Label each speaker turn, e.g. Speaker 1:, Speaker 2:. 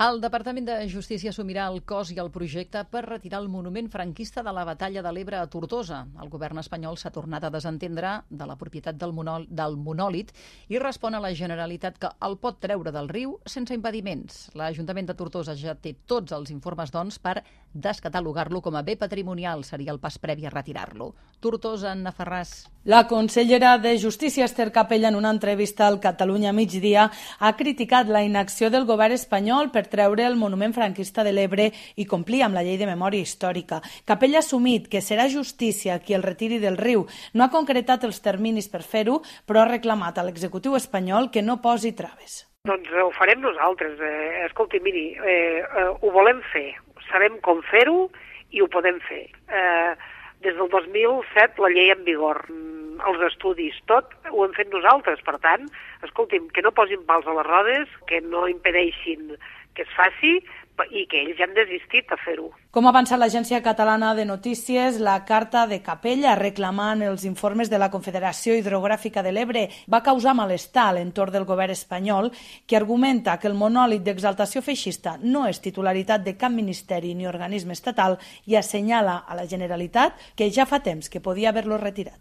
Speaker 1: El Departament de Justícia assumirà el cost i el projecte per retirar el monument franquista de la Batalla de l'Ebre a Tortosa. El govern espanyol s'ha tornat a desentendre de la propietat del monòlit i respon a la Generalitat que el pot treure del riu sense impediments. L'Ajuntament de Tortosa ja té tots els informes, doncs, per descatalogar-lo com a bé patrimonial. Seria el pas previ a retirar-lo. Tortosa, Anna Ferràs.
Speaker 2: La consellera de Justícia, Esther Capella, en una entrevista al Catalunya Migdia, ha criticat la inacció del govern espanyol per treure el monument franquista de l'Ebre i complir amb la llei de memòria històrica. Capella ha assumit que serà justícia qui el retiri del riu. No ha concretat els terminis per fer-ho, però ha reclamat a l'executiu espanyol que no posi traves.
Speaker 3: Doncs ho farem nosaltres. Escolti, miri, ho volem fer. Sabem com fer-ho i ho podem fer. Des del 2007 la llei en vigor, els estudis, tot ho hem fet nosaltres. Per tant, escolti'm, que no posin pals a les rodes, que no impedeixin que es faci i que ells ja han desistit a fer-ho.
Speaker 2: Com ha avançat l'Agència Catalana de Notícies, la carta de Capella reclamant els informes de la Confederació Hidrogràfica de l'Ebre va causar malestar a l'entorn del govern espanyol, que argumenta que el monòlit d'exaltació feixista no és titularitat de cap ministeri ni organisme estatal i assenyala a la Generalitat que ja fa temps que podia haver-lo retirat.